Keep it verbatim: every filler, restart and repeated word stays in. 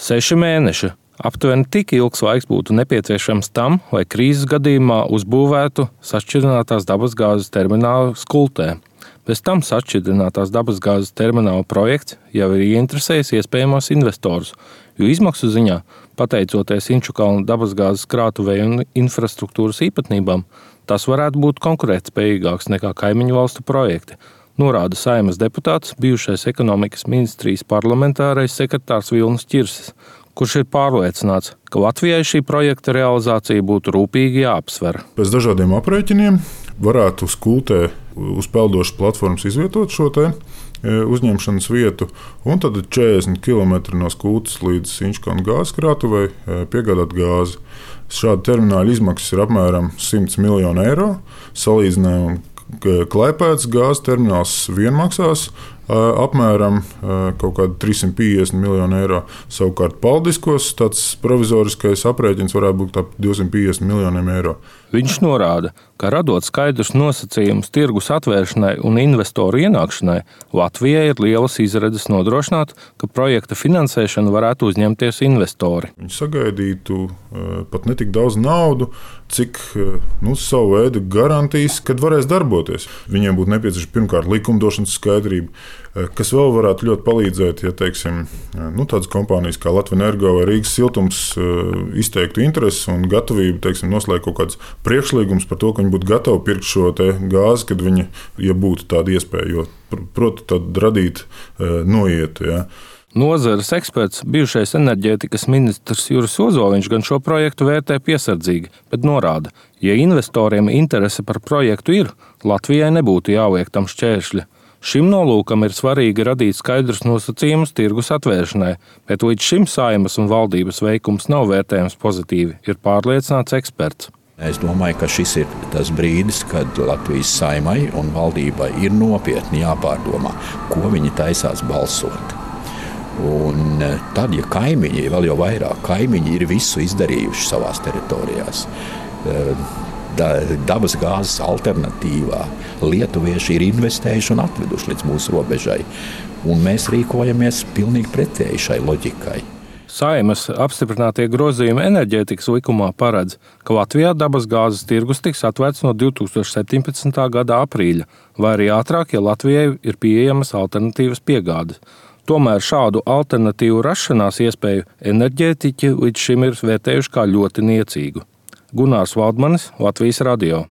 Seši mēneši. Aptuveni tik ilgs laiks būtu nepieciešams tam, lai krīzes gadījumā uzbūvētu sašķidrinātās dabasgāzes terminālu Skultē. Bez tam sašķidrinātās dabasgāzes termināla projekts jau ir ieinteresējis iespējamos investorus, jo izmaksu ziņā, pateicoties Inčukalna dabasgāzes krātuvēju un infrastruktūras īpatnībām, tas varētu būt konkurētspējīgāks nekā kaimiņu valstu projekti, norāda Saeimas deputāts, bijušais ekonomikas ministrijas parlamentārais sekretārs Vilnis Ķirsis, kurš ir pārliecināts, ka Latvijai šī projekta realizācija būtu rūpīgi jāapsver. Pēc dažādiem aprēķiniem varētu Skultē uz peldošas platformas izvietot šo te uzņemšanas vietu, un tad četrdesmit kilometri no Skultes līdz Inčukalna gāzes krātuvei piegādāt gāzi. Šāda termināla izmaksas ir apmēram simts miljonu eiro. Salīdzinājumam Klaipēdas gāzes termināls vien maksās apmēram kaut kādi trīssimt piecdesmit miljoni eiro. Savukārt Paldiskos tāds provizoriskais aprēķins varētu būt ap divsimt piecdesmit miljoniem eiro. Viņš norāda, ka radot skaidrus nosacījumus tirgus atvēršanai un investoru ienākšanai, Latvijai ir lielas izredzes nodrošināt, ka projekta finansēšanu varētu uzņemties investori. Viņi sagaidītu pat ne tik daudz naudu, cik nu, savu veidu garantijas, kad varēs darboties. Viņiem būtu nepieciešama pirmkārt likumdošanas skaidrība, kas vēl varētu ļoti palīdzēt, ja teiksim, nu, tādas kompānijas kā Latvenergo vai Rīgas siltums izteiktu interesi un gatavību teiksim, noslēgt kaut kāds priekšlīgums par to, ka viņi būtu gatavi pirkt šo te gāzi, kad viņi, ja būtu tāda iespēja, jo, proti, tad radīt noietu. Ja. Nozares eksperts, bijušais enerģētikas ministrs Juris Ozoliņš gan šo projektu vērtē piesardzīgi, bet norāda, ja investoriem interese par projektu ir, Latvijai nebūtu jāliek tam šķēršļi. Šim nolūkam ir svarīgi radīt skaidrus nosacījumus tirgus atvēršanai, bet līdz šim Saeimas un valdības veikums nav vērtējams pozitīvi, ir pārliecināts eksperts. Es domāju, ka šis ir tas brīdis, kad Latvijas Saeimai un valdībai ir nopietni jāpārdomā, ko viņi taisās balsot. Un tad, ja kaimiņi, vēl jau vairāk, kaimiņi ir visu izdarījuši savās teritorijās, dabas gāzes alternatīvā lietuvieši ir investējuši un atveduši līdz mūsu robežai. Un mēs rīkojamies pilnīgi pretēji šai loģikai. Saeimas apstiprinātie grozījumi enerģētikas likumā paredz, ka Latvijā dabas gāzes tirgus tiks atvērts no divi tūkstoši septiņpadsmitā gada aprīļa, vai arī ātrāk, ja Latvijai ir pieejamas alternatīvas piegādes. Tomēr šādu alternatīvu rašanās iespēju enerģētiķi līdz šim ir vērtējuši kā ļoti niecīgu. Gunārs Valdmanis, Latvijas radio.